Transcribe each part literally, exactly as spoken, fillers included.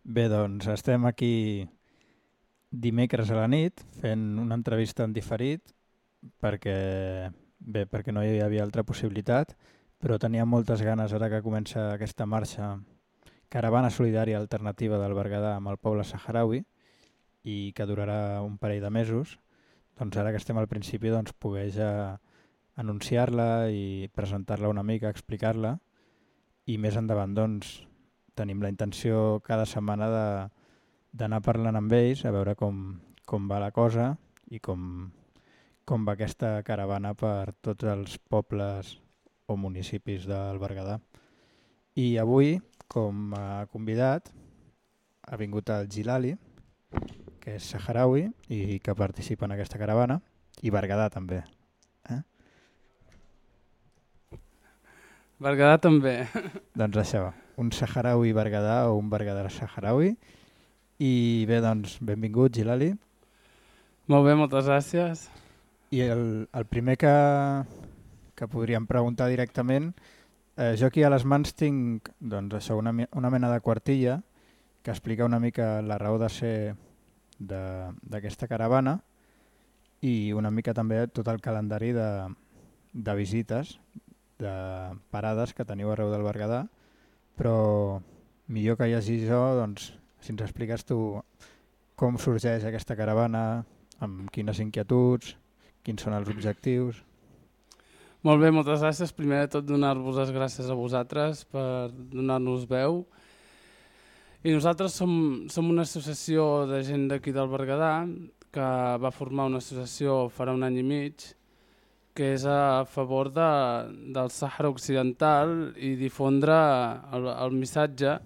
Bé, doncs estem aquí dimecres a la nit fent una entrevista en diferit perquè, bé, perquè no hi havia altra possibilitat, però tenia moltes ganes ara que comença aquesta marxa Caravana Solidària Alternativa del Berguedà amb el poble saharaui i que durarà un parell de mesos. Doncs ara que estem al principi doncs, poder ja anunciar-la i presentar-la una mica, explicar-la, i més endavant doncs, tenim la intenció cada setmana de, d'anar parlant amb ells a veure com, com va la cosa i com, com va aquesta caravana per tots els pobles o municipis del Berguedà. I avui, com a convidat, ha vingut el Gilali, que és saharaui i que participa en aquesta caravana, i Berguedà també. Eh? Berguedà també. Doncs això, un saharaui Berguedà o un Berguedà saharaui. I bé, doncs, benvingut, Gilali. Molt bé, moltes gràcies. I el, el primer que, que podríem preguntar directament, eh, jo aquí a les mans tinc doncs, això, una, una mena de quartilla que explica una mica la raó de ser d'aquesta caravana i una mica també tot el calendari de, de visites, de parades que teniu arreu del Berguedà, però millor que llegir jo, doncs, si ens expliques tu com sorgeix aquesta caravana, amb quines inquietuds, quins són els objectius. Molt bé, moltes gràcies. Primer de tot donar-vos les gràcies a vosaltres per donar-nos veu. I nosaltres som, som una associació de gent d'aquí del Berguedà que va formar una associació farà un any i mig que és a favor de, del Sàhara Occidental i difondre el, el missatge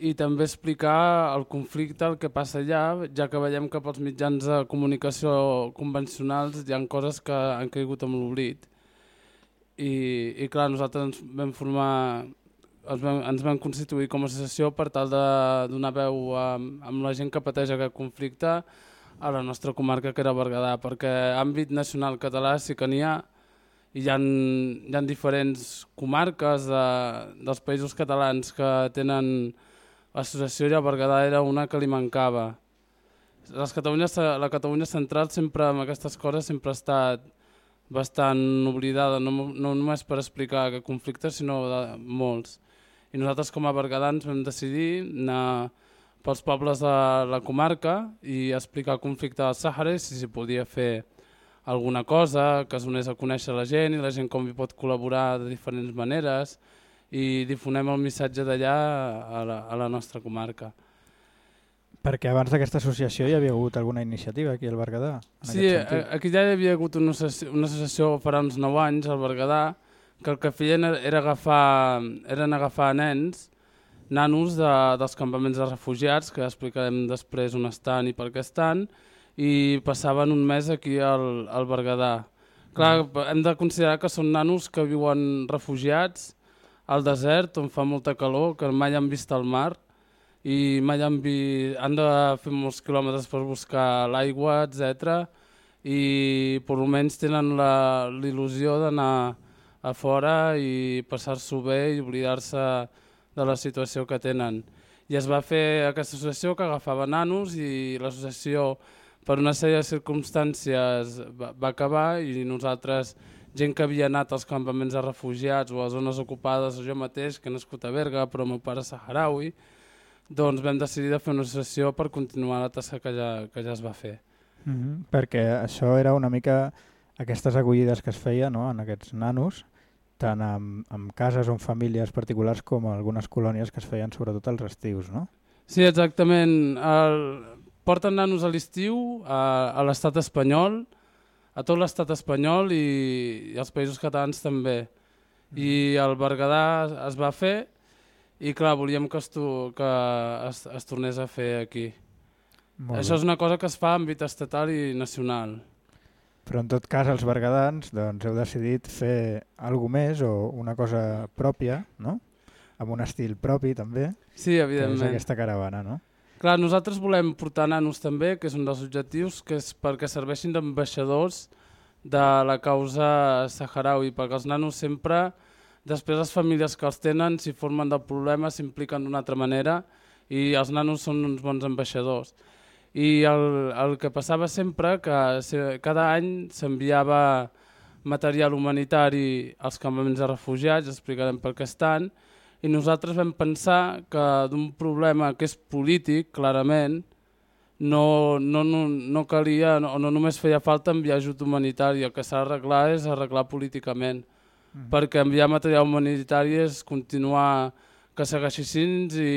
i també explicar el conflicte, el que passa allà, ja que veiem que pels mitjans de comunicació convencionals hi ha coses que han caigut amb l'oblit. I, i clar, nosaltres ens vam formar, ens vam, ens vam constituir com a associació per tal de donar veu a, amb la gent que pateix aquest conflicte a la nostra comarca, que era Berguedà, perquè àmbit nacional català sí que n'hi ha, i hi ha, hi ha diferents comarques de, dels països catalans que tenen l'associació, i a Berguedà era una que li mancava. Les Catalunya, la Catalunya central sempre amb aquestes coses sempre ha estat bastant oblidada, no, no només per explicar aquest conflicte, sinó de molts. I nosaltres com a berguedans vam decidir anar pels pobles de la comarca i explicar el conflicte del Sàhara i si s'hi podia fer alguna cosa que es donés a conèixer la gent i la gent com hi pot col·laborar de diferents maneres i difonem el missatge d'allà a, la, a la nostra comarca. Perquè abans d'aquesta associació hi havia hagut alguna iniciativa aquí al Berguedà? Sí, aquí ja hi havia hagut una associació, una associació farà uns nou anys al Berguedà que el que feien era agafar, eren agafar nens, nanos de, dels campaments de refugiats, que explicarem després on estan i per què estan, i passaven un mes aquí al, al Berguedà. Clar, hem de considerar que són nanos que viuen refugiats al desert, on fa molta calor, que mai han vist el mar, i mai han, vi... han de fer molts quilòmetres per buscar l'aigua, etcètera. I per almenys tenen la, l'il·lusió d'anar a fora i passar-s'ho bé i oblidar-se de la situació que tenen. I es va fer aquesta associació que agafava nanos i l'associació per una sèrie de circumstàncies va, va acabar i nosaltres, gent que havia anat als campaments de refugiats o a zones ocupades, o jo mateix, que he nascut a Berga, però el meu pare és saharaui, doncs vam decidir de fer una associació per continuar la tasca que ja, que ja es va fer. Mm-hmm. Perquè això era una mica aquestes acollides que es feia, no?, en aquests nanos, tant amb, amb cases o amb famílies particulars com algunes colònies que es feien sobretot als estius, no? Sí, exactament. El... Porten nanos a l'estiu a, a l'estat espanyol, a tot l'estat espanyol i, i als països catalans també. I el Berguedà es va fer i clar, volíem que es, tu, que es, es tornés a fer aquí. Molt Això bé. És una cosa que es fa a àmbit estatal i nacional. Però en tot cas els berguedans doncs, heu decidit fer alguna més o una cosa pròpia, no? Amb un estil propi també, sí, evidentment. Que és aquesta caravana, no? Clar, nosaltres volem portar nanos també, que és un dels objectius, que és perquè serveixin d'ambaixadors de la causa saharaui, perquè els nanos sempre, després les famílies que els tenen, si formen del problema, s'impliquen d'una altra manera i els nanos són uns bons ambaixadors. I el, el que passava sempre que cada any s'enviava material humanitari als campaments de refugiats, explicarem per què estan, i nosaltres vam pensar que d'un problema que és polític, clarament, no, no, no, no calia, no, no només feia falta enviar ajut humanitari, el que s'ha d'arreglar és arreglar políticament, mm. perquè enviar material humanitari és continuar que segueixin i,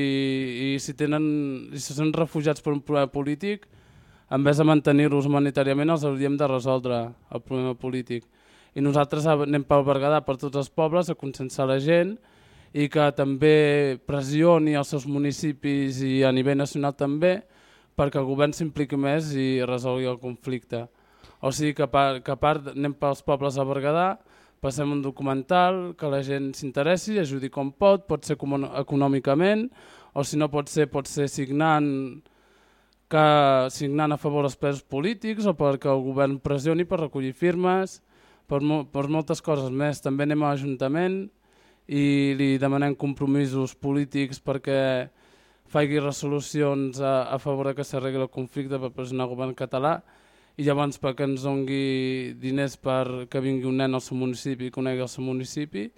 i si, tenen, si són refugiats per un problema polític, en vez de mantenir-los humanitàriament, els hauríem de resoldre el problema polític. I nosaltres anem pel Berguedà, per tots els pobles, a conscienciar la gent i que també pressioni els seus municipis i a nivell nacional també perquè el govern s'impliqui més i resolgui el conflicte. O sigui que a part, que a part anem pels pobles a Berguedà, passem un documental, que la gent s'interessi, ajudi com pot, pot ser econòmicament, o si no pot ser, pot ser signant, que, signant a favor dels presos polítics o perquè el govern pressioni per recollir firmes, per, mo per moltes coses més. També anem a l'Ajuntament i li demanem compromisos polítics perquè faci resolucions a, a favor de que s'arregli el conflicte per pressionar el govern català i llavors perquè ens doni diners per que vingui un nen al seu municipi i conegui el seu municipi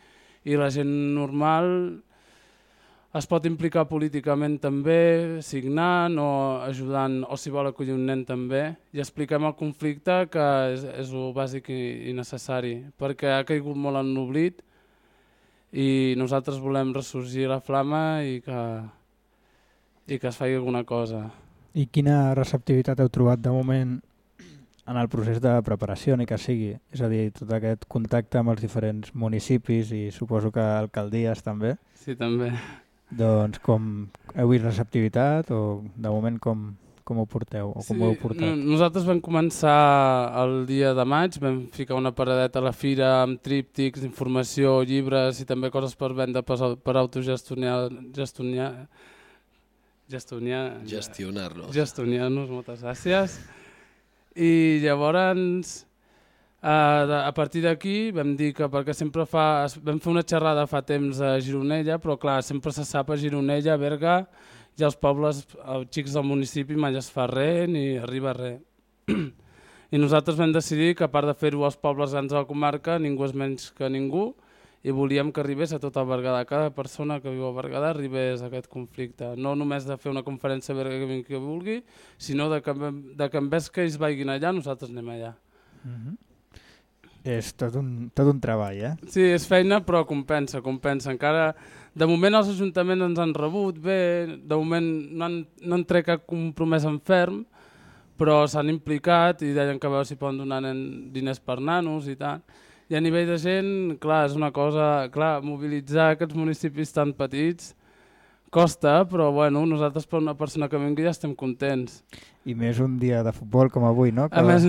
i la gent normal es pot implicar políticament també, signant o ajudant, o si vol acollir un nen també, i expliquem el conflicte que és, és el bàsic i, i necessari, perquè ha caigut molt en l'oblit i nosaltres volem ressorgir la flama i que, i que es faci alguna cosa. I quina receptivitat heu trobat de moment en el procés de preparació, ni que sigui? És a dir, tot aquest contacte amb els diferents municipis i suposo que alcaldies també. Sí, també. Doncs com heu vist receptivitat o de moment com, com ho porteu o com sí, ho heu portat? Nosaltres vam començar el dia de maig, vam ficar una paradeta a la fira amb tríptics, informació, llibres i també coses per vendre per, per autogestionar, gestionar, gestionar, gestionar-nos. Gestionar-nos, moltes gràcies. I llavors, a partir d'aquí vam dir que perquè sempre fa, vam fer una xerrada fa temps a Gironella, però clar, sempre se sap a Gironella, a Berga, i als pobles, els xics del municipi mai es fa res ni arriba res. I nosaltres vam decidir que a part de fer-ho als pobles grans de la comarca, ningú és menys que ningú, i volíem que arribés a tot el Berguedà, cada persona que viu a Berguedà arribés a aquest conflicte. No només de fer una conferència a Berga que vingui qui vulgui, sinó de que, de que en vez que ells vagin allà, nosaltres anem allà. Mm-hmm. És tot un, tot un treball, eh? Sí, és feina, però compensa, compensa. Encara, de moment els ajuntaments ens han rebut bé, de moment no han, no han tret cap compromès en ferm, però s'han implicat i deien que a veure si poden donar diners per nanos i tal. I a nivell de gent, clar, és una cosa, clar, mobilitzar aquests municipis tan petits costa, però bueno, nosaltres per una persona que vingui ja estem contents. I més un dia de futbol com avui, no? Que, a més,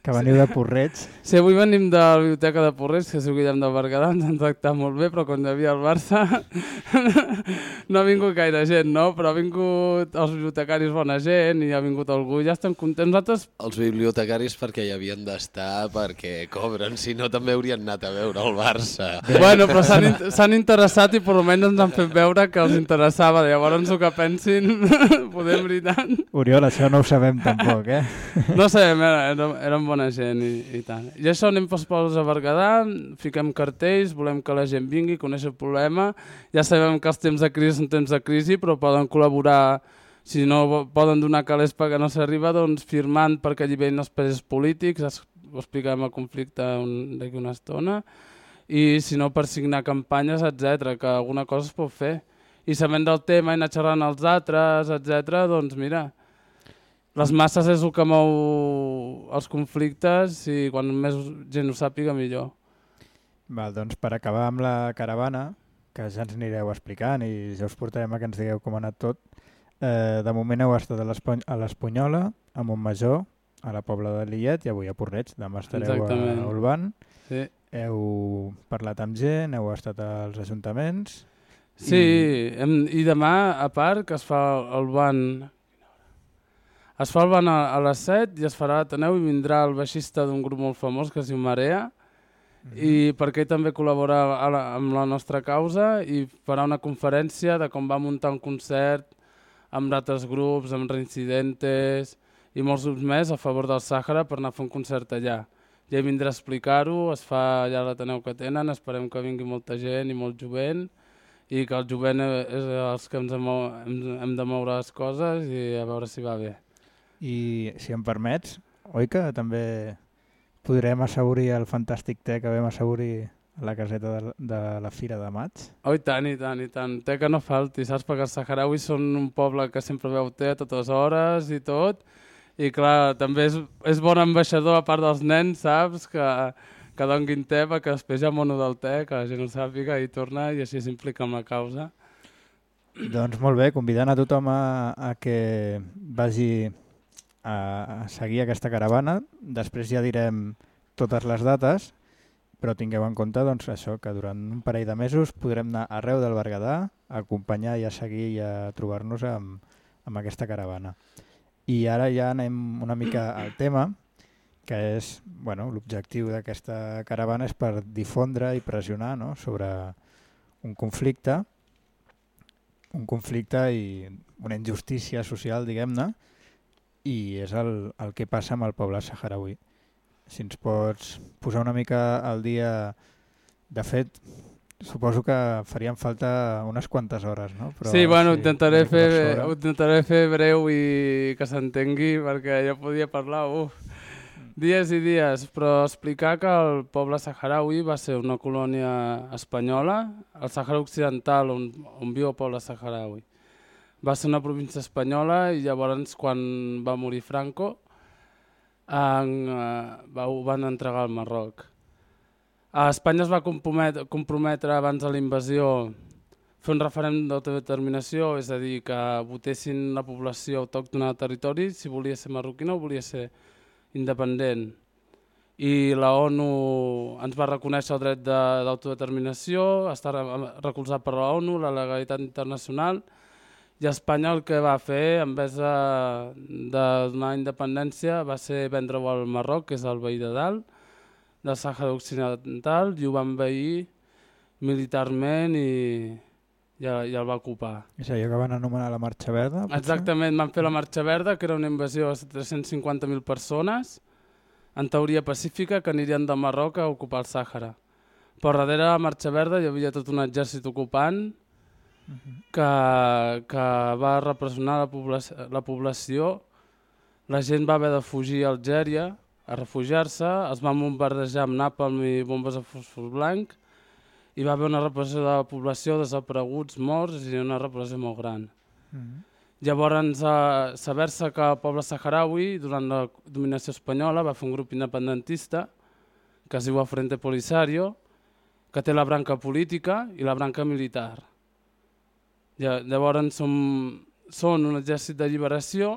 que veniu sí. de Porreig. Sí, avui venim de la biblioteca de Porreig, que és el Guillem del Berguedà, ens han tractat molt bé, però quan hi havia el Barça no ha vingut gaire gent, no? Però ha vingut els bibliotecaris bona gent i ha vingut algú, ja estem contents. Nosaltres... Els bibliotecaris perquè hi havien d'estar, perquè cobren, si no també haurien anat a veure el Barça. Bueno, però s'han interessat i per almenys ens han fet veure que els interessava, llavors el que pensin, podem veritat. Oriol, això no ho sabem tampoc, eh? No sabem, érem, érem bona gent i, i tant. I això anem pels pobles a Berguedà, fiquem cartells, volem que la gent vingui, conèixer el problema. Ja sabem que els temps de crisi són temps de crisi, però poden col·laborar, si no poden donar calés perquè no s'arriba, doncs firmant perquè allibellin els presos polítics, ho explicarem el conflicte d'aquí una estona, i si no per signar campanyes, etcètera, que alguna cosa es pot fer. I sabent del tema i anar xerrant als altres, etcètera, doncs mira, les masses és el que mou els conflictes i quan més gent ho sàpiga millor. Val, doncs per acabar amb la caravana, que ja ens anireu explicant i ja us portarem a que ens digueu com ha anat tot, eh, de moment heu estat a l'Espunyola, a Montmajor, a la Pobla de Lillet i avui a Porreig, demà estareu Exactament. a Olvan. Sí. Heu parlat amb gent, heu estat als ajuntaments. Sí, i, hem, i demà, a part, que es fa el ban... Es fa el ban a, a les set i es farà a l'Ateneu i vindrà el baixista d'un grup molt famós que es diu Marea, mm-hmm. i perquè ell també col·labora la, amb la nostra causa i farà una conferència de com va muntar un concert amb altres grups, amb Reincidentes i molts grups més a favor del Sàhara per anar a fer un concert allà. Ja hi vindrà a explicar-ho, es fa allà a l'Ateneu que tenen, esperem que vingui molta gent i molt jovent i que el jovent és els que ens hem, hem de moure les coses i a veure si va bé. I si em permets, oi que també podrem assaborir el fantàstic te que vam assaborir a la caseta de, de la Fira de Maig? Oh, i tant, i tant, i tant. Te que no falti, saps? Perquè els saharauis són un poble que sempre veu te a totes hores i tot. I clar, també és, és bon ambaixador a part dels nens, saps? Que, que donguin te perquè després hi ha mono del te, que la gent ho sàpiga i torna i així s'implica amb la causa. Doncs molt bé, convidant a tothom a, a que vagi a, a seguir aquesta caravana. Després ja direm totes les dates, però tingueu en compte doncs, això, que durant un parell de mesos podrem anar arreu del Berguedà a acompanyar i a seguir i a trobar-nos amb, amb aquesta caravana. I ara ja anem una mica al tema, que és, bueno, l'objectiu d'aquesta caravana és per difondre i pressionar, no?, sobre un conflicte, un conflicte i una injustícia social, diguem-ne, i és el, el que passa amb el poble saharauí. Si ens pots posar una mica al dia, de fet, suposo que farien falta unes quantes hores, no? Però, sí, bueno, sí, intentaré, fer, ho intentaré fer breu i que s'entengui, perquè jo podia parlar, uf, dies i dies, però explicar que el poble saharauí va ser una colònia espanyola, el Sàhara Occidental, on, on viu el poble saharauí. Va ser una província espanyola i llavors, quan va morir Franco, en, va, ho van entregar al Marroc. A Espanya es va comprometre, comprometre abans de la invasió fer un referèndum d'autodeterminació, és a dir, que votessin la població autòctona del territori si volia ser marroquina o volia ser independent. I la ONU ens va reconèixer el dret d'autodeterminació, està recolzat per la ONU, la legalitat internacional, i Espanya el que va fer, en vez de, de donar independència, va ser vendre-ho al Marroc, que és el veí de dalt, del Sàhara Occidental, i ho va envair militarment i, i, i el va ocupar. És allò que van anomenar la Marxa Verda? Potser? Exactament, van fer la Marxa Verda, que era una invasió de tres-cents cinquanta mil persones, en teoria pacífica, que anirien del Marroc a ocupar el Sàhara. Però darrere de la Marxa Verda hi havia tot un exèrcit ocupant que, que va repressionar la, població, la població. La gent va haver de fugir a Algèria, a refugiar-se, es van bombardejar amb nàpalm i bombes de fòsfor blanc, hi va haver una repressió de la població, desapareguts, morts i una repressió molt gran. Mm-hmm. Llavors, eh, saber-se que el poble saharaui, durant la dominació espanyola, va fer un grup independentista que es diu el Frente Polisario, que té la branca política i la branca militar. Llavors som, són un exèrcit de lliberació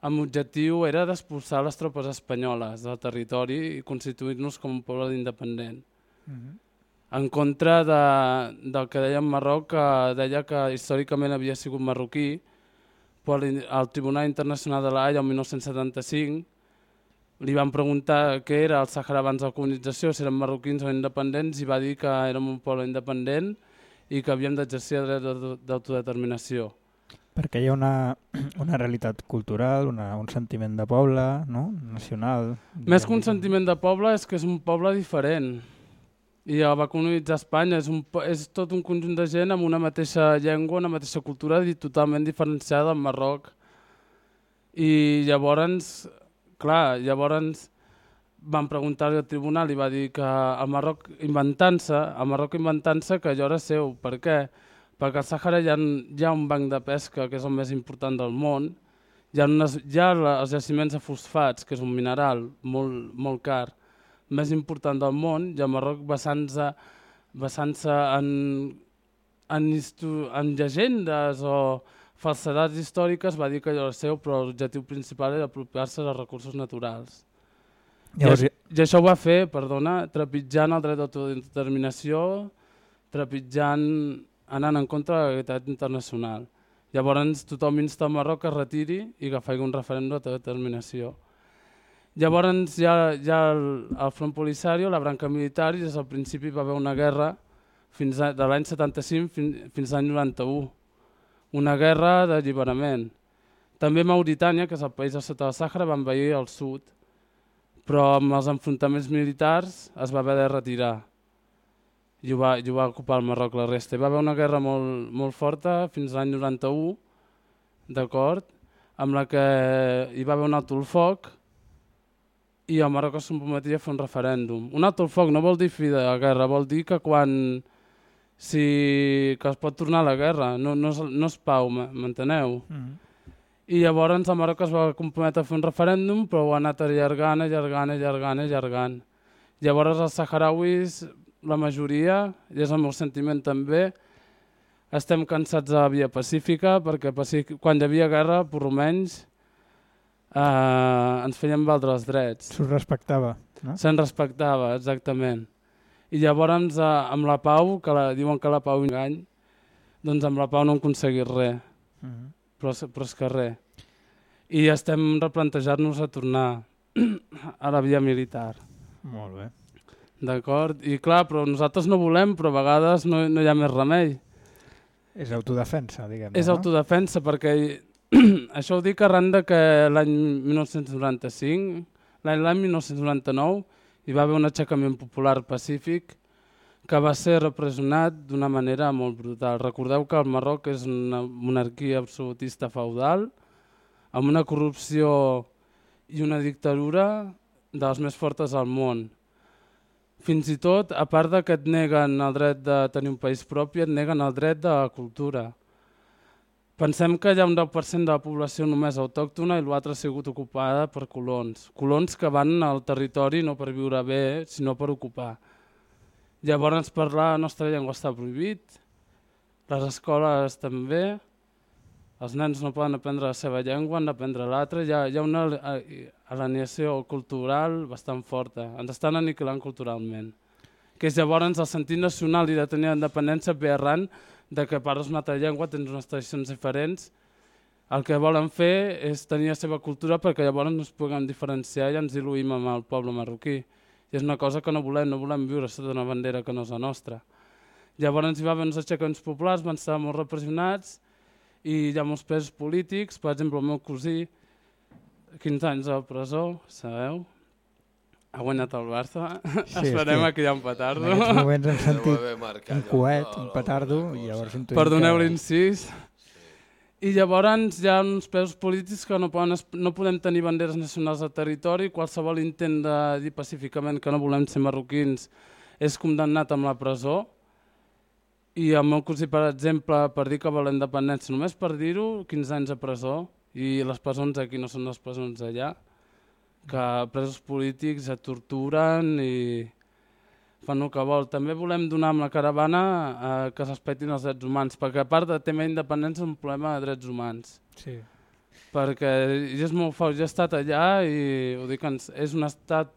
amb l'objectiu era d'expulsar les tropes espanyoles del territori i constituir-nos com un poble independent. Mm-hmm. En contra de, del que deia en Marroc, que deia que històricament havia sigut marroquí, però al Tribunal Internacional de l'Haia el mil nou-cents setanta-cinc li van preguntar què era el Sàhara abans de la colonització, si eren marroquins o independents, i va dir que érem un poble independent i que havíem d'exercir el dret d'autodeterminació. Perquè hi ha una, una realitat cultural, una, un sentiment de poble, no? Nacional. Més que un sentiment de poble és que és un poble diferent. I el va colonitzar Espanya, és, un, és tot un conjunt de gent amb una mateixa llengua, una mateixa cultura i totalment diferenciada del Marroc. I llavors, clar, llavors van preguntar-li al tribunal i va dir que el Marroc inventant-se, el Marroc inventant-se que allò era seu. Per què? Perquè al Sàhara hi ha, hi ha un banc de pesca, que és el més important del món, hi ha, unes, hi ha els jaciments de fosfats, que és un mineral molt, molt car, més important del món, i el Marroc basant-se basant en, en, en llegendes o falsedats històriques va dir que allò era seu, però l'objectiu principal era apropiar-se dels recursos naturals. Llavors, I, I això ho va fer, perdona, trepitjant el dret d'autodeterminació, trepitjant, anant en contra de la legalitat internacional. Llavors tothom insta el Marroc que es retiri i que faci un referèndum d'autodeterminació. Llavors hi ha, hi ha el, el Front Polisario, la branca militar, i des del principi va haver una guerra fins a, de l'any setanta-cinc fins, fins l'any noranta-u. una guerra d'alliberament. També Mauritània, que és el país de sota del Sàhara, va envair el sud, però amb els enfrontaments militars es va haver de retirar i ho va, i ho va ocupar el Marroc la resta. Hi va haver una guerra molt, molt forta fins a l'any noranta-u, d'acord, amb la que hi va haver un alto el foc i el Marroc es comprometia a fer un referèndum. Un alto el foc no vol dir fi de la guerra, vol dir que quan si, que es pot tornar a la guerra, no, no, és, no és pau, m'enteneu? Mm. I llavors el Marroc es va comprometre a fer un referèndum, però ho ha anat allargant, allargant, allargant, allargant. Llavors els saharauis, la majoria, i és el meu sentiment també, estem cansats de la via pacífica, perquè quan hi havia guerra, per almenys, eh, ens feien valdre els drets. S'ho respectava, no? Se'n respectava, exactament. I llavors, eh, amb la pau, que la, diuen que la pau engany, doncs amb la pau no hem aconseguit res, uh -huh. però, però és que res. I estem replantejant-nos a tornar a la via militar. Molt bé. D'acord? I clar, però nosaltres no volem, però a vegades no, no hi ha més remei. És autodefensa, diguem-ne. És no? autodefensa, perquè això ho dic arran de que l'any mil nou-cents noranta-cinc, l'any mil nou-cents noranta-nou, hi va haver un aixecament popular pacífic que va ser repressionat d'una manera molt brutal. Recordeu que el Marroc és una monarquia absolutista feudal, amb una corrupció i una dictadura de les més fortes del món. Fins i tot, a part de que et neguen el dret de tenir un país propi, et neguen el dret de la cultura. Pensem que hi ha un deu per cent de la població només autòctona i l'altra ha sigut ocupada per colons. Colons que van al territori no per viure bé, sinó per ocupar. Llavors parlar la nostra llengua està prohibit, les escoles també, els nens no poden aprendre la seva llengua, han d'aprendre l'altra, hi, hi ha una alienació cultural bastant forta, ens estan aniquilant culturalment. Que és llavors el sentit nacional i de tenir independència ve arran de que parles una altra llengua, tens unes tradicions diferents, el que volen fer és tenir la seva cultura perquè llavors no es puguem diferenciar i ens diluïm amb el poble marroquí. I és una cosa que no volem, no volem viure sota una bandera que no és la nostra. Llavors hi va haver uns aixecaments populars, van estar molt repressionats i hi ha molts presos polítics, per exemple el meu cosí, quinze anys a la presó, sabeu? Ha guanyat el Barça, sí, esperem que hi ha un petardo. En aquests moments hem sentit un coet, un petardo, i llavors intuïm que... Perdoneu l'incís. I llavors hi ha uns presos polítics que no, poden, no podem tenir banderes nacionals al territori, qualsevol intent de dir pacíficament que no volem ser marroquins és condemnat amb la presó. I el meu cosí, per exemple, per dir que vol la independència, només per dir-ho, quinze anys a presó, i les presons aquí no són les presons allà, que presos polítics et torturen i fan el que vol. També volem donar amb la caravana eh, que es respectin els drets humans, perquè a part de tema d'independència és un problema de drets humans. Sí. Perquè és molt fort, jo he estat allà i ho dic, és un estat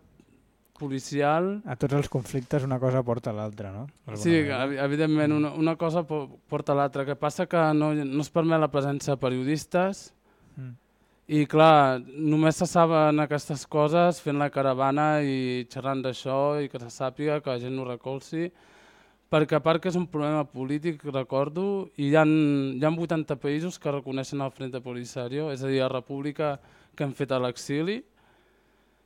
policial. A tots els conflictes una cosa porta a l'altra, no? Sí, evidentment, una, una cosa porta a l'altra. El que passa que no, no es permet la presència de periodistes mm. i, clar, només se saben aquestes coses fent la caravana i xerrant d'això i que se sàpiga, que la gent ho recolzi, perquè a part que és un problema polític, recordo, i hi ha, hi ha vuitanta països que reconeixen el Frente Polisario, és a dir, la república que han fet a l'exili.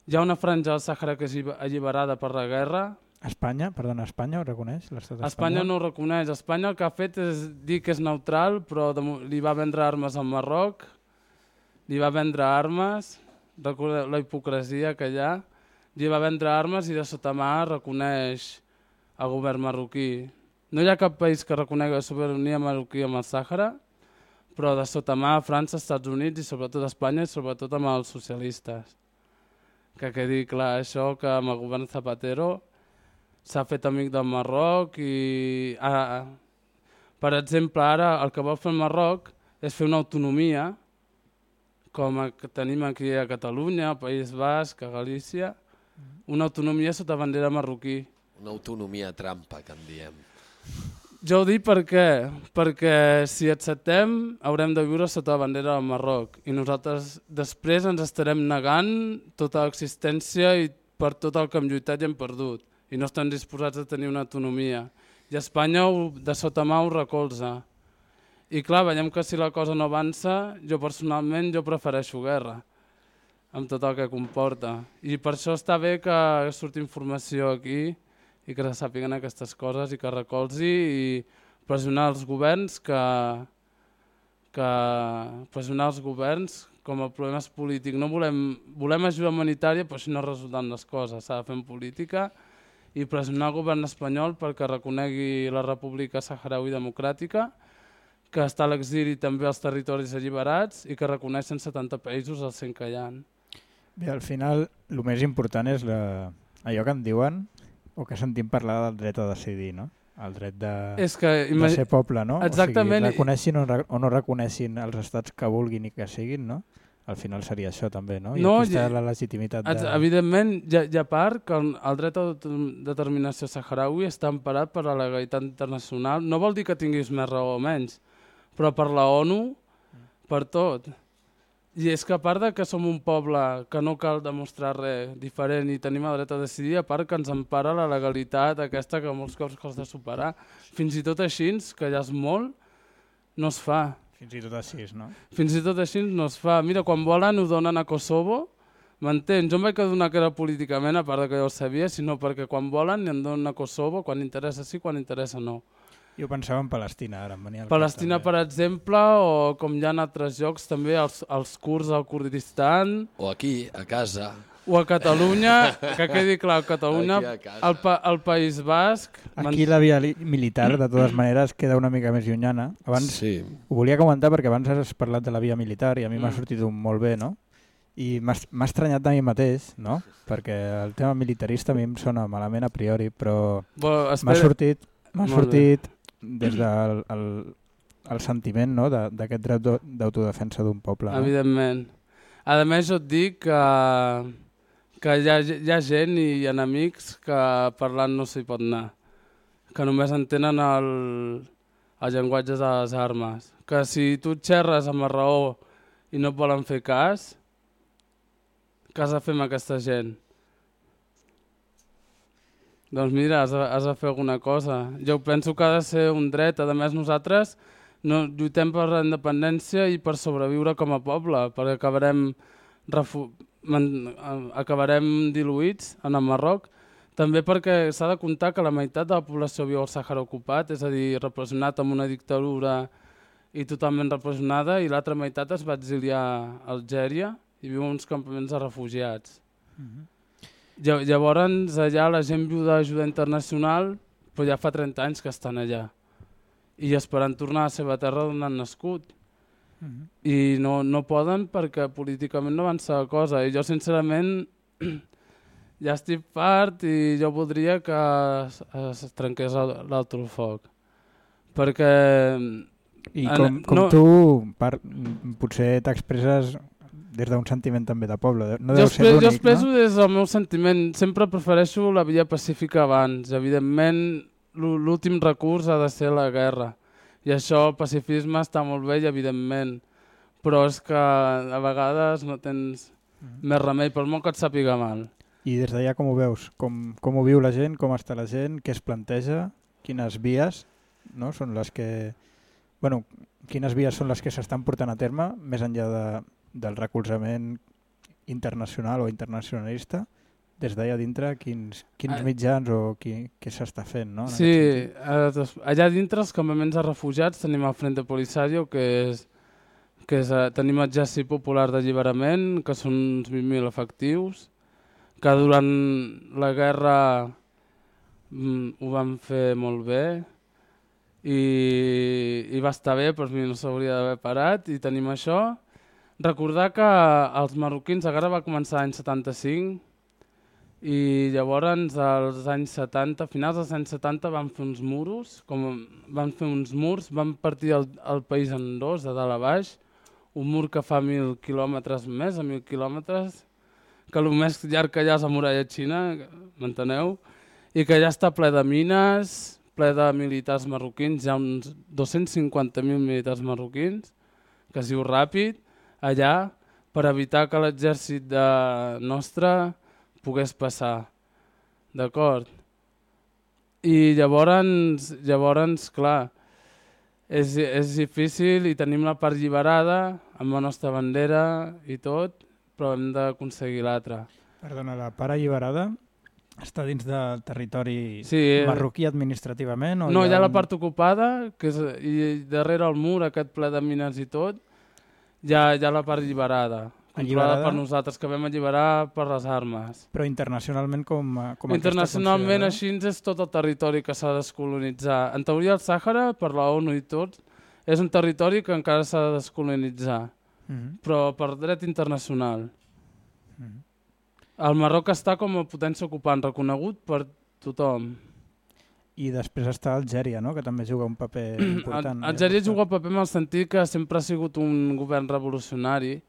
Hi ha una franja del Sàhara que és alliberada per la guerra. Espanya, perdona, Espanya ho reconeix? L'estat espanyol? Espanya no ho reconeix. Espanya el que ha fet és dir que és neutral, però li va vendre armes al Marroc, li va vendre armes, recordeu la hipocresia que hi ha, li va vendre armes i de sota mà reconeix el govern marroquí. No hi ha cap país que reconegui la sobirania marroquí amb el Sàhara, però de sota mà França, Estats Units i sobretot Espanya i sobretot amb els socialistes. Que quedi clar això, que amb el govern Zapatero s'ha fet amic del Marroc i, ah, per exemple, ara el que vol fer el Marroc és fer una autonomia, com que tenim aquí a Catalunya, al País Basc, a Galícia, una autonomia sota bandera marroquí. Una autonomia trampa, que en diem. Jo ho dic perquè, perquè si acceptem haurem de viure sota la bandera del Marroc i nosaltres després ens estarem negant tota l'existència i per tot el que hem lluitat i hem perdut i no estem disposats a tenir una autonomia. I Espanya de sota mà ho recolza. I clar, veiem que si la cosa no avança, jo personalment jo prefereixo guerra, amb tot el que comporta. I per això està bé que surti informació aquí i que se sàpiguen aquestes coses i que recolzi i pressionar els governs que, que pressionar els governs com el problema és polític. No volem, volem ajuda humanitària, però així no resulten les coses. S'ha de fer en política i pressionar el govern espanyol perquè reconegui la República Saharaui Democràtica, que està a l'exili també als territoris alliberats i que reconeixen setanta països als cent que hi ha. Bé, al final, el més important és la... allò que en diuen o que sentim parlar del dret a decidir, no? El dret de, és que, de ser poble, no? Exactament. O sigui, reconeixin o, o no reconeixin els estats que vulguin i que siguin, no? Al final seria això també, no? I no, aquí està la legitimitat de... Evidentment, hi ha, hi ha part que el dret a determinació saharaui està emparat per la legalitat internacional. No vol dir que tinguis més raó o menys, però per la ONU, per tot. I és que a part de que som un poble que no cal demostrar res diferent i tenim el dret a decidir, a part que ens empara la legalitat aquesta que molts cops costa superar. Fins i tot així, que ja és molt, no es fa. Fins i tot així, no? Fins i tot així no es fa. Mira, quan volen ho donen a Kosovo, m'entens? Jo em vaig adonar que era políticament, a part de que jo ho sabia, sinó perquè quan volen en donen a Kosovo, quan interessa sí, quan interessa no. Jo pensava en Palestina, ara em venia al Palestina, per exemple, o com hi ha altres llocs també, els, els kurds al Kurdistan. O aquí, a casa. O a Catalunya, que quedi clar, a Catalunya, al pa, País Basc. Aquí la via militar, de totes maneres, queda una mica més llunyana. Abans sí. Ho volia comentar perquè abans has parlat de la via militar i a mi m'ha sortit un molt bé, no? I m'ha estranyat a mi mateix, no? Perquè el tema militarista a mi em sona malament a priori, però bueno, m'ha sortit, m'ha sortit des del el, el sentiment, no? d'aquest dret d'autodefensa d'un poble. No? Evidentment. A més, jo et dic que, que hi, ha, hi ha gent i enemics que parlant no s'hi pot anar, que només entenen el, els llenguatges de les armes. Que si tu xerres amb la raó i no et volen fer cas, què has de fer amb aquesta gent? Doncs mira, has de, has de fer alguna cosa. Jo penso que ha de ser un dret. A més, nosaltres no, lluitem per la independència i per sobreviure com a poble, perquè acabarem, refu man, acabarem diluïts en el Marroc. També perquè s'ha de comptar que la meitat de la població viu al Sàhara ocupat, és a dir, repressionat amb una dictadura i totalment repressionada, i l'altra meitat es va exiliar a Algèria i viu en uns campaments de refugiats. Mm-hmm. Llavors allà la gent viu d'ajuda internacional, però ja fa trenta anys que estan allà i esperant tornar a la seva terra on han nascut. Mm-hmm. I no, no poden perquè políticament no avança la cosa. I jo sincerament ja estic fart i jo voldria que es, es trenqués l'altre foc. Perquè... I com, com no... tu par, potser t'expresses des d'un sentiment també de poble. No deu ser l'únic, jo expresso no? Des del meu sentiment. Sempre prefereixo la via pacífica abans. Evidentment, l'últim recurs ha de ser la guerra. I això, el pacifisme està molt bé, evidentment. Però és que a vegades no tens mm. més remei, per molt que et sàpiga mal. I des d'allà com ho veus? Com, com ho viu la gent? Com està la gent? Què es planteja? Quines vies no? Són les que... Bueno, quines vies són les que s'estan portant a terme, més enllà de... del recolzament internacional o internacionalista, des d'allà dintre quins, quins mitjans o qui, què s'està fent, no? Sí, allà dintre els campaments de refugiats tenim el Frente Polisario, que és, que és tenim l'Exèrcit Popular d'Alliberament, que són uns vint mil efectius, que durant la guerra mm, ho van fer molt bé i, i va estar bé, però no s'hauria d'haver parat, i tenim això. Recordar que els marroquins, la guerra va començar l'any setanta-cinc i llavors als anys setanta, a finals dels anys setanta van fer uns muros, com van fer uns murs, van partir el, el país en dos, de dalt a baix, un mur que fa mil quilòmetres més, a mil quilòmetres, que el més llarg que hi ha és la muralla xina, m'enteneu? I que ja està ple de mines, ple de militars marroquins, hi ha uns dos-cents cinquanta mil militars marroquins, que es diu ràpid, allà per evitar que l'exèrcit nostre pogués passar. D'acord? I llavors, llavors, clar, És, és difícil i tenim la part alliberada amb la nostra bandera i tot, però hem d'aconseguir l'altra. Perdona, la part alliberada està dins del territori Sí, marroquí administrativament? O no, hi ha un... la part ocupada, que és, i darrere el mur, aquest ple de mines i tot, hi ha, hi ha la part alliberada, controlada Alliberada? per nosaltres, que vam alliberar per les armes. Però internacionalment com, com Internacionalment aquesta així és tot el territori que s'ha de descolonitzar. En teoria el Sàhara, per la ONU i tot, és un territori que encara s'ha de descolonitzar, Mm -hmm. però per dret internacional. Mm -hmm. El Marroc està com a potència ocupant, reconegut per tothom. I després està Algèria, no? Que també juga un paper important. Algèria juga un paper en el sentit que sempre ha sigut un govern revolucionari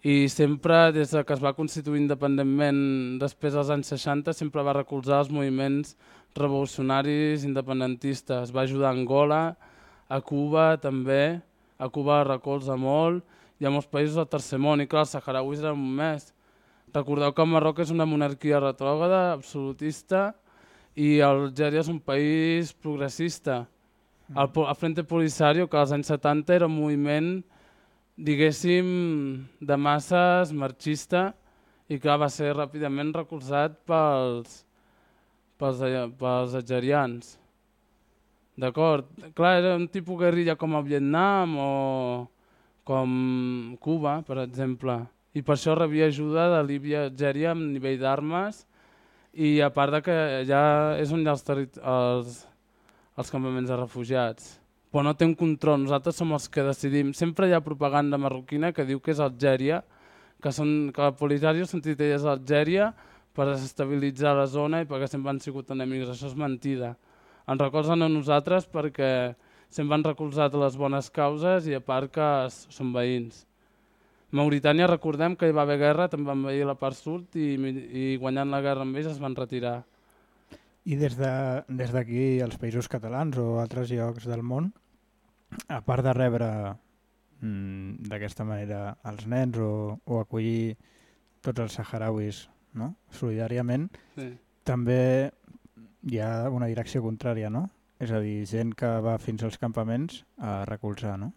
i sempre, des que es va constituir independentment després dels anys seixanta, sempre va recolzar els moviments revolucionaris independentistes. Va ajudar a Angola, a Cuba també, a Cuba recolza molt, i a molts països del tercer món, i clar, els saharauis eren un més. Recordeu que el Marroc és una monarquia retrògrada, absolutista, i Algèria és un país progressista. El, el Frente Polisario, que als anys setanta era un moviment, diguéssim, de masses, marxista, i que va ser ràpidament recolzat pels, pels, pels algerians. D'acord? Clar, era un tipus guerrilla com a Vietnam o com Cuba, per exemple. I per això rebia ajuda de Líbia i Algèria a nivell d'armes, i a part de que ja és on hi ha els, els, els campaments de refugiats. Però no té un control, nosaltres som els que decidim. Sempre hi ha propaganda marroquina que diu que és Algèria, que, són, que el Polisario són titelles d'Algèria per desestabilitzar la zona i perquè sempre han sigut enemics. Això és mentida. Ens recolzen a nosaltres perquè sempre han recolzat les bones causes i a part que són veïns. Mauritània, recordem que hi va haver guerra, també van veir la part sud i, i guanyant la guerra amb ells es van retirar. I des de, des d'aquí, als països catalans o altres llocs del món, a part de rebre mm, d'aquesta manera els nens o, o acollir tots els saharauis, no? Solidàriament, Sí. també hi ha una direcció contrària, no? És a dir, gent que va fins als campaments a recolzar, no?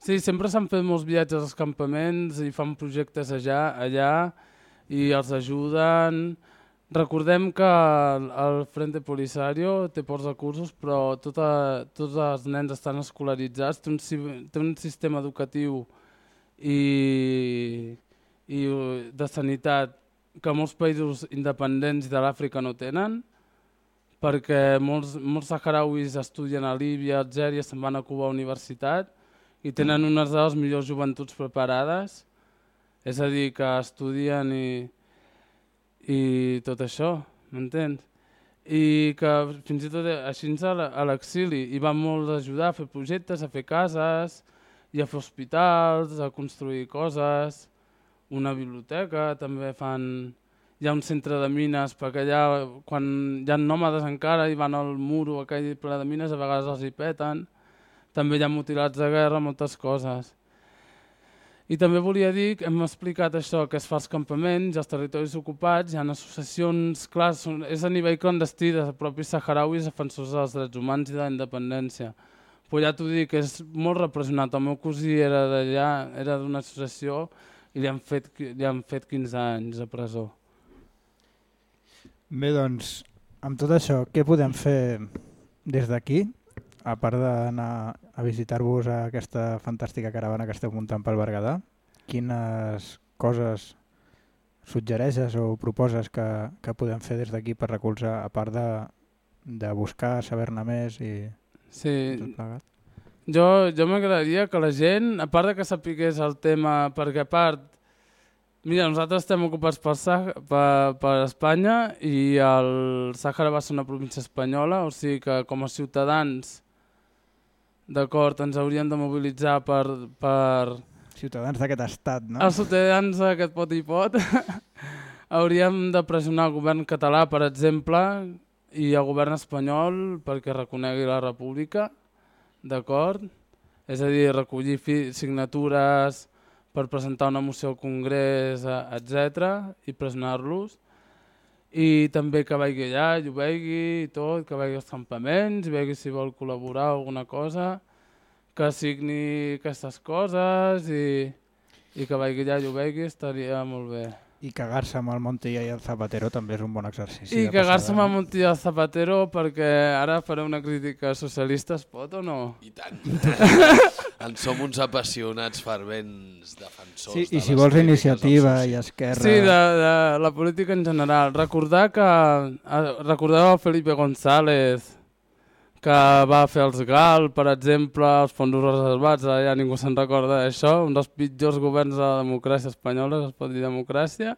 Sí, sempre s'han fet molts viatges als campaments i fan projectes allà, allà i els ajuden. Recordem que el, el Frente Polisario té pocs recursos, però tota, tots els nens estan escolaritzats, té un, té un sistema educatiu i, i de sanitat que molts països independents de l'Àfrica no tenen, perquè molts, molts saharauis estudien a Líbia, a Algèria, se'n van a Cuba a la universitat i tenen unes de les millors joventuts preparades, és a dir, que estudien i, i tot això, m'entens? I que fins i tot així a l'exili hi van molt ajudar a fer projectes, a fer cases i a fer hospitals, a construir coses, una biblioteca, també fan... Hi ha un centre de mines, perquè allà, quan hi ha nòmades encara i van al muro aquell ple de mines, a vegades els hi peten. També hi ha mutilats de guerra, moltes coses. I també volia dir que hem explicat això, que es fa als campaments, als territoris ocupats, hi ha associacions, clar, és a nivell clandestí dels propis saharauis defensors dels drets humans i de la independència. Però ja t'ho dic, és molt repressionat. El meu cosí era d'allà, era d'una associació i li han fet, li han fet quinze anys a presó. Bé, doncs, amb tot això, què podem fer des d'aquí, a part d'anar a visitar-vos a aquesta fantàstica caravana que esteu muntant pel Berguedà? Quines coses suggereixes o proposes que, que podem fer des d'aquí per recolzar, a part de, de buscar, saber-ne més i sí. tot plegat? Jo, jo m'agradaria que la gent, a part de que sapigués el tema, perquè a part, mira, nosaltres estem ocupats per, per, per Espanya i el Sàhara va ser una província espanyola, o sigui que com a ciutadans, d'acord, ens hauríem de mobilitzar per... per ciutadans d'aquest estat, no? Els ciutadans d'aquest pot i pot. Hauríem de pressionar el govern català, per exemple, i el govern espanyol perquè reconegui la república, d'acord? És a dir, recollir signatures per presentar una moció al Congrés, etcètera, i pressionar-los. I també que vagi allà, i ho vegi i tot, que vagi als campaments, i vegi si vol col·laborar alguna cosa. que signi aquestes coses i, i que vagi allà i ho vegi, estaria molt bé. I cagar-se amb el Montilla i el Zapatero també és un bon exercici. I cagar-se amb el Montilla i el Zapatero, perquè ara faré una crítica socialista, es pot o no? I tant. En som uns apassionats fervents defensors sí, de i si vols iniciativa i esquerra... Sí, de, de la política en general. Recordar que... Recordeu el Felipe González, que va fer els G A L, per exemple, els fons reservats, ara ja ningú se'n recorda d'això, un dels pitjors governs de la democràcia espanyola, que es pot dir democràcia.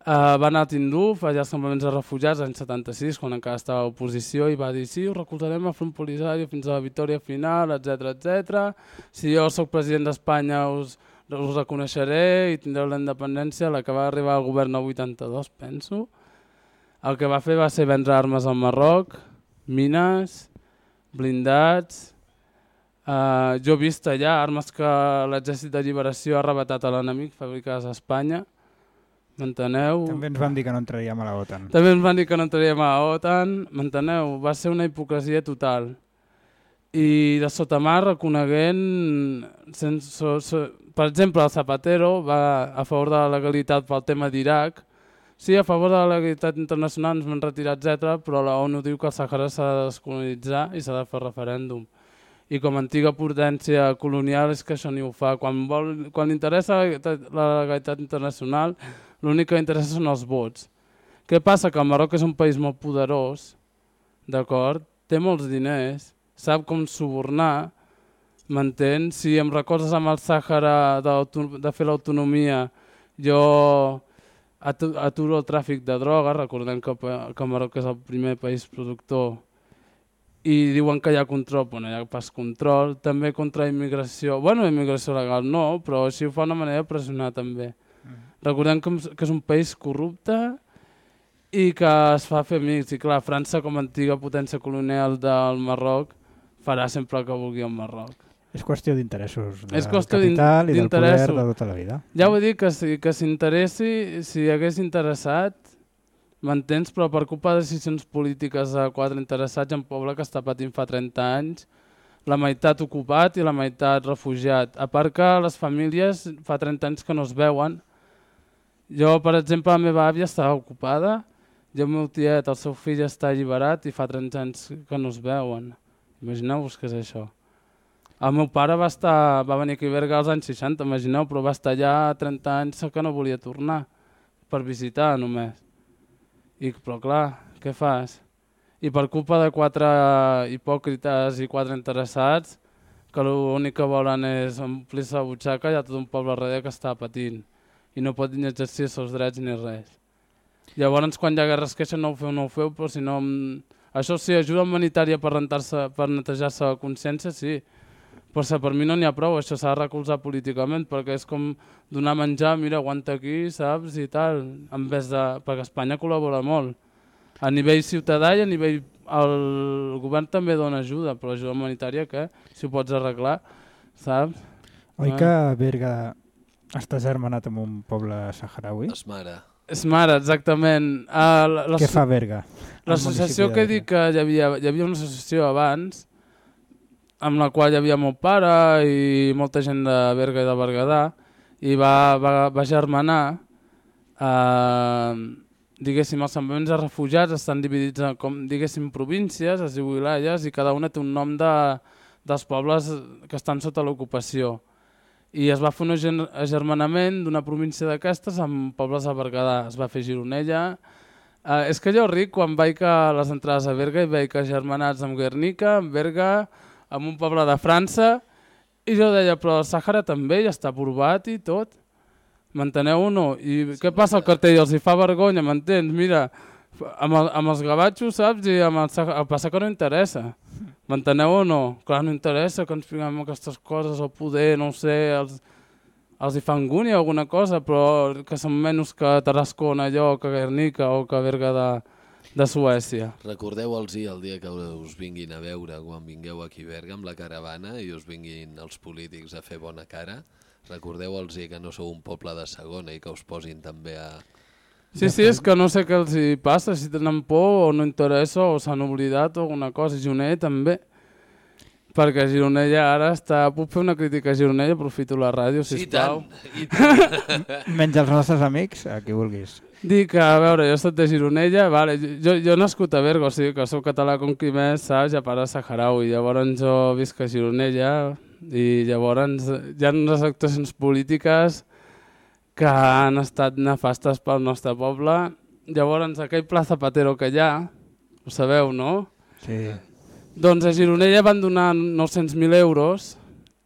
Uh, va anar a Tinduf, allà als campaments de refugiats, l'any setanta-sis, quan encara estava a l'oposició, i va dir, sí, us recolzarem a Front Polisario fins a la victòria final, etcètera, etcètera. Si jo sóc president d'Espanya us, us reconeixeré i tindreu la independència, la que va arribar al govern al vuitanta-dos, penso. El que va fer va ser vendre armes al Marroc, mines, blindats. Uh, jo he vist allà armes que l'exèrcit de lliberació ha arrebatat a l'enemic, fabricades a Espanya. M'enteneu? També ens van dir que no entraríem a la OTAN. També ens van dir que no entraríem a la OTAN. M'enteneu? Va ser una hipocresia total. I de sotamar reconeguent... Sense, so, so, per exemple, el Zapatero va a favor de la legalitat pel tema d'Iraq. Sí, a favor de la legalitat internacional ens vam retirar, etcètera, però la ONU diu que el Sàhara s'ha de descolonitzar i s'ha de fer referèndum. I com a antiga potència colonial és que això ni ho fa. Quan, vol, quan li interessa la legalitat internacional, l'únic que interessa són els vots. Què passa? Que el Marroc és un país molt poderós, d'acord? Té molts diners, sap com subornar, m'entens? Si em recordes amb el Sàhara de, de fer l'autonomia, jo... aturo el tràfic de drogues, recordem que, que Marroc és el primer país productor i diuen que hi ha control, però no hi ha pas control, també contra immigració, bueno, immigració legal no, però així ho fa una manera de pressionar també. Mm. Recordem que, que és un país corrupte i que es fa fer amics, i clar, França com a antiga potència colonial del Marroc farà sempre el que vulgui el Marroc. És qüestió d'interessos, del qüestió capital i del poder de tota la vida. Ja ho he dit, que si que s'interessi, si hagués interessat, m'entens, però per culpa de decisions polítiques de quatre interessats en un poble que està patint fa trenta anys, la meitat ocupat i la meitat refugiat. A part que les famílies fa trenta anys que no es veuen. Jo, per exemple, la meva àvia estava ocupada, i el meu tiet, el seu fill està alliberat i fa trenta anys que no es veuen. Imagineu-vos què és això. El meu pare va, estar, va venir aquí a Berga als anys seixanta, imagineu, però va estar allà trenta anys que no volia tornar, per visitar només. I, però clar, què fas? I per culpa de quatre hipòcrites i quatre interessats, que l'únic que volen és omplir-se la butxaca, hi ha tot un poble darrere que està patint i no pot ni exercir els seus drets ni res. Llavors, quan hi ha guerra es queixen, no ho feu, no ho feu, però si no... Això sí, ajuda humanitària per, per netejar-se la consciència, sí. Però per mi no n'hi ha prou, això s'ha de recolzar políticament, perquè és com donar menjar, mira, aguanta aquí, saps, i tal, en vez de... perquè Espanya col·labora molt. A nivell ciutadà i a nivell... El govern també dona ajuda, però ajuda humanitària, què? Si ho pots arreglar, saps? Oi que Berga està germanat amb un poble saharaui? Esmara. Esmara, exactament. Uh, la, la, Què fa Berga? L'associació que he dit que hi havia, hi havia una associació abans, amb la qual hi havia mon pare i molta gent de Berga i de Berguedà, i va, va, va germanar, eh, diguéssim, els campaments de refugiats estan dividits en, com, diguéssim, províncies, es diu wilayas, i cada una té un nom de, dels pobles que estan sota l'ocupació. I es va fer un agermanament d'una província d'aquestes amb pobles de Berguedà. Es va fer Gironella. Eh, és que jo ric quan vaig a les entrades a Berga i veig agermanats amb Guernica, amb Berga, amb un poble de França, i jo deia, però el Sàhara també ja està aprovat i tot. M'enteneu o no? I sí, què passa al cartell? Els hi fa vergonya, m'entens? Mira, amb, el, amb els gavatxos, saps? I amb el Sàhara, el passa que no interessa. M'enteneu o no? Clar, no interessa que ens fiquem aquestes coses, el poder, no ho sé, els, els hi fa angúnia alguna cosa, però que són menys que Tarrascona, allò, que Guernica o que Berga de, de Suècia. Recordeu-los el dia que us vinguin a veure, quan vingueu aquí a Berga amb la caravana i us vinguin els polítics a fer bona cara. Recordeu-los que no sou un poble de segona i que us posin també a... Sí, sí, és que no sé què els hi passa, si tenen por o no interessa o s'han oblidat o alguna cosa. Juner també. perquè Gironella ara està... Puc fer una crítica a Gironella? Aprofito la ràdio, sisplau. I tant, i tant. Menys els nostres amics, a qui vulguis. Dic, a veure, jo soc de Gironella, vale, jo, jo he nascut a Berga, o sigui que soc català com qui més, saps? Ja pare saharaui. Llavors jo visc a Gironella i llavors hi ha unes actuacions polítiques que han estat nefastes pel nostre poble. Llavors aquell Pla Zapatero que hi ha, ho sabeu, no? Sí. Doncs a Gironella van donar nou-cents mil euros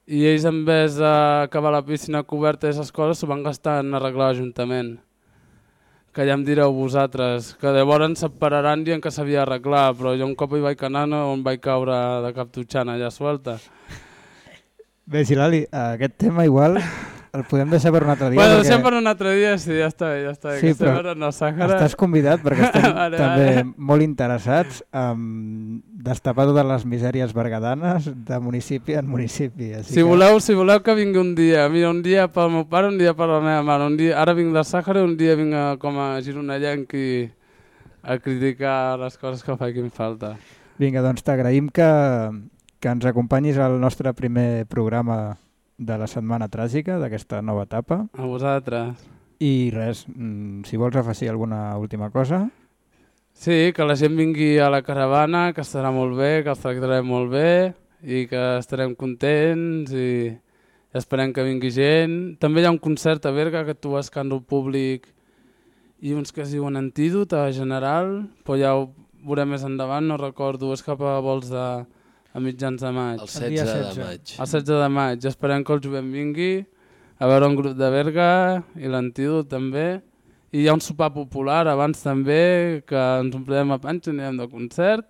i ells en vez d'acabar la piscina coberta i aquestes coses s'ho van gastar en arreglar l'Ajuntament. Que ja em direu vosaltres, que llavors separaran dient que s'havia d'arreglar, però jo un cop hi vaig anar on vaig caure de cap tutxana allà suelta. Bé, Gilali, aquest tema igual el podem deixar per un altre dia. Bueno, perquè... deixem per un altre dia, sí, ja està bé, ja està bé. Sí, que però no, Sàhara... estàs convidat perquè estem vale, també vale. molt interessats en destapar totes les misèries berguedanes de municipi en municipi. Així Si, que... voleu, si voleu que vingui un dia, mira, un dia pel meu pare, un dia per la meva mare, un dia, ara vinc de Sàhara, un dia vinc a, com a gironellenc i a criticar les coses que facin falta. Vinga, doncs t'agraïm que, que ens acompanyis al nostre primer programa de la Setmana Tràgica, d'aquesta nova etapa. A vosaltres. I res, si vols afegir alguna última cosa... Sí, que la gent vingui a la caravana, que estarà molt bé, que els tractarem molt bé i que estarem contents i esperem que vingui gent. També hi ha un concert a Berga que tu escàndol públic i uns que es diuen Antídot a General, però ja ho veurem més endavant, no recordo, és cap a vols de... a mitjans de maig. El setze de maig. El setze de maig. Esperem que el jovent vingui a veure un grup de Berga i l'Antídot també. I hi ha un sopar popular abans també, que ens omplirem a panxa, anirem de concert.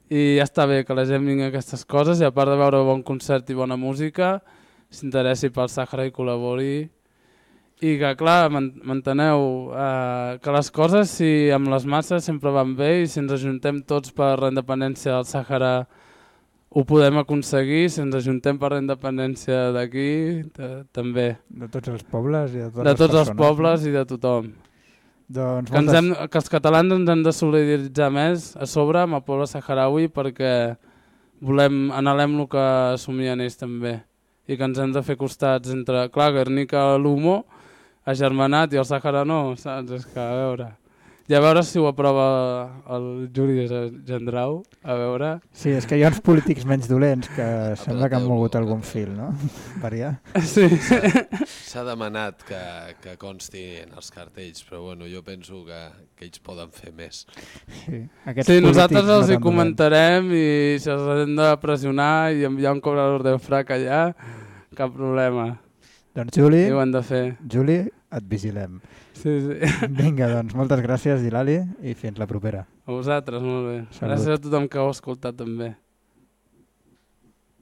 I ja està bé que la gent vingui a aquestes coses i a part de veure bon concert i bona música, s'interessi pel Sàhara i col·labori. I que, clar, m'enteneu, eh, que les coses, si amb les masses sempre van bé i si ens ajuntem tots per la independència del Sàhara ho podem aconseguir, si ens ajuntem per la independència d'aquí, també. De tots els pobles i de totes de les tots persones. els pobles i de tothom. Doncs que, moltes... hem, que els catalans ens hem de solidaritzar més a sobre amb el poble saharaui perquè volem, anhelem el que assumien ells també. I que ens hem de fer costats entre, clar, Guernica, l'Humo, agermanat i el Sàhara no, saps? És que, a veure... I a veure si ho aprova el Juli Gendrau, a veure... Sí, és que hi ha uns polítics menys dolents que sembla que han mogut algun fil, no? Variar. Sí. S'ha demanat que, que consti en els cartells, però bueno, jo penso que, que ells poden fer més. Sí, Aquests sí nosaltres no els hi comentarem i si els hem de pressionar i enviar un cobrador de frac allà, cap problema. Doncs Juli, I ho han de fer. Juli, et vigilem. Sí, sí. Vinga, doncs moltes gràcies, Gilali, i fins la propera. A vosaltres, molt bé. Salut. Gràcies a tothom que heu escoltat també.